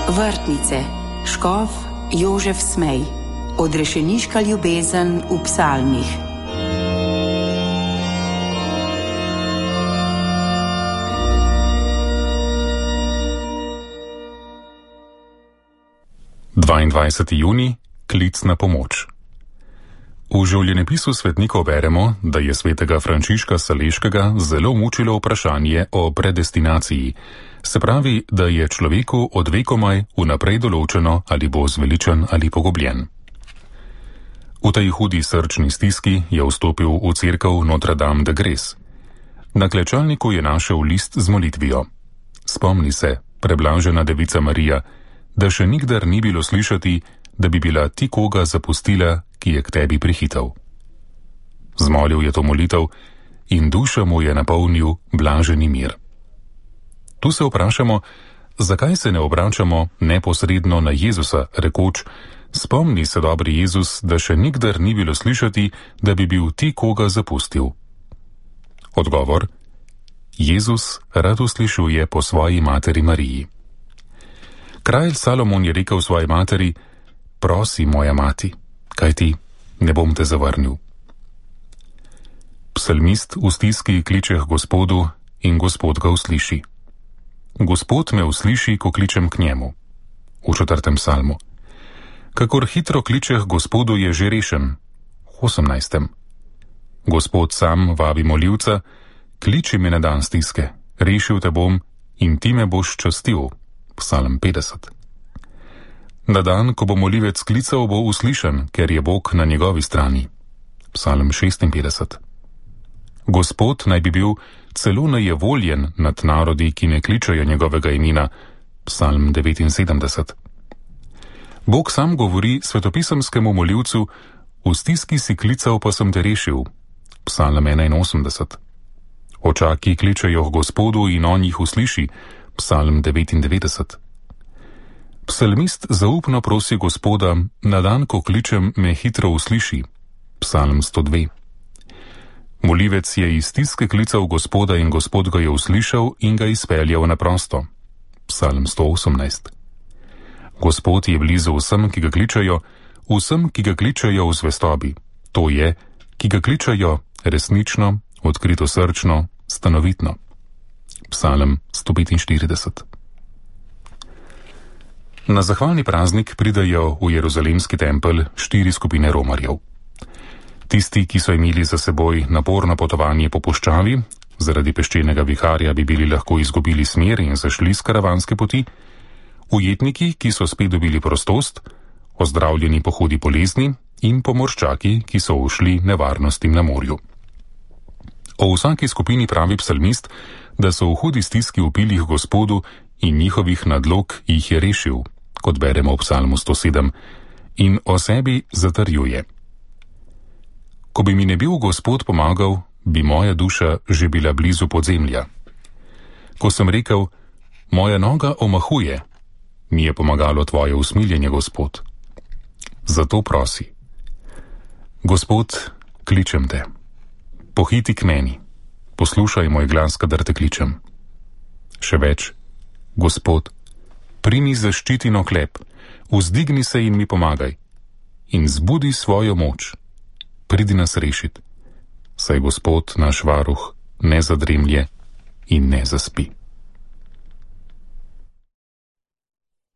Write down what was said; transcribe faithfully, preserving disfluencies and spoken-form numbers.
Vrtnice, škof Jožef Smej, odrešeniška ljubezen v psalmih. dvaindvajseti junij, klic na pomoč. V življenjepisu svetnikov beremo, da je svetega Frančiška Saleškega zelo mučilo vprašanje o predestinaciji, se pravi, da je človeku od vekomaj vnaprej določeno, ali bo zveličen ali pogubljen. V tej hudi srčni stiski je vstopil v cerkev Notre Dame de Grâce. Na klečalniku je našel list z molitvijo. Spomni se, preblažena devica Marija, da še nikdar ni bilo slišati, da bi bila ti koga zapustila, ki je k tebi prihital. Zmolil je to molitev in duša mu je napolnil blaženi mir. Tu se vprašamo, zakaj se ne obračamo neposredno na Jezusa, rekoč: spomni se, dobri Jezus, da še nikdar ni bilo slišati, da bi bil ti koga zapustil. Odgovor: Jezus rad uslišuje po svoji materi Mariji. Kralj Salomon je rekel svoji materi: prosi, moja mati, kajti ne bom te zavrnil. Psalmist v stiski kliče k Gospodu in Gospod ga usliši. Gospod me usliši, ko kličem k njemu. V četrtem psalmu. Kakor hitro kliče k Gospodu, je že rešen. V osemnajstem. Gospod sam vabi molivca: kliči me na dan stiske, rešil te bom in ti me boš častil. Psalm petdeset. Na dan, ko bo molivec klical, bo uslišan, ker je Bog na njegovi strani. Psalm šestinpetdeset. Gospod naj bi bil celo nejevoljen nad narodi, ki ne kličejo njegovega imena. Psalm devetinsedemdeset. Bog sam govori svetopisemskemu molivcu: v stiski si klical, pa sem te rešil. Psalm enainosemdeset. Očaki kličejo k Gospodu in on jih usliši. Psalm devetindevetdeset. Psalmist zaupno prosi Gospoda: na dan, ko kličem, me hitro usliši. Psalm sto dve. Molivec je iz stiske klical Gospoda in Gospod ga je uslišal in ga izpeljal na prosto. Psalm sto osemnajst. Gospod je blizu vsem, ki ga kličejo, vsem, ki ga kličejo v zvestobi, to je, ki ga kličejo resnično, odkrito srčno, stanovitno. Psalm sto petinštirideset. Na zahvalni praznik pridejo v Jeruzalemski tempelj štiri skupine romarjev. Tisti, ki so imeli za seboj naporno potovanje po puščavi, zaradi peščenega viharja bi bili lahko izgubili smer in zašli s karavanske poti, ujetniki, ki so spet dobili prostost, ozdravljeni po hudi bolezni in pomorščaki, ki so ušli nevarnostim na morju. O vsaki skupini pravi psalmist, da so v hudi stiski vpili k Gospodu in njihovih nadlog jih je rešil, kot beremo v psalmu sto sedem, in o sebi zatrjuje: ko bi mi ne bil Gospod pomagal, bi moja duša že bila blizu podzemlja. Ko sem rekel: moja noga omahuje, mi je pomagalo tvoje usmiljenje, Gospod. Zato prosi: Gospod, kličem te. Pohiti k meni, poslušaj moj glas, kadar te kličem. Še več: Gospod, primi zaščitino klep, vzdigni se in mi pomagaj, in zbudi svojo moč, pridi nas rešit, saj Gospod naš varuh ne zadremlje in ne zaspi.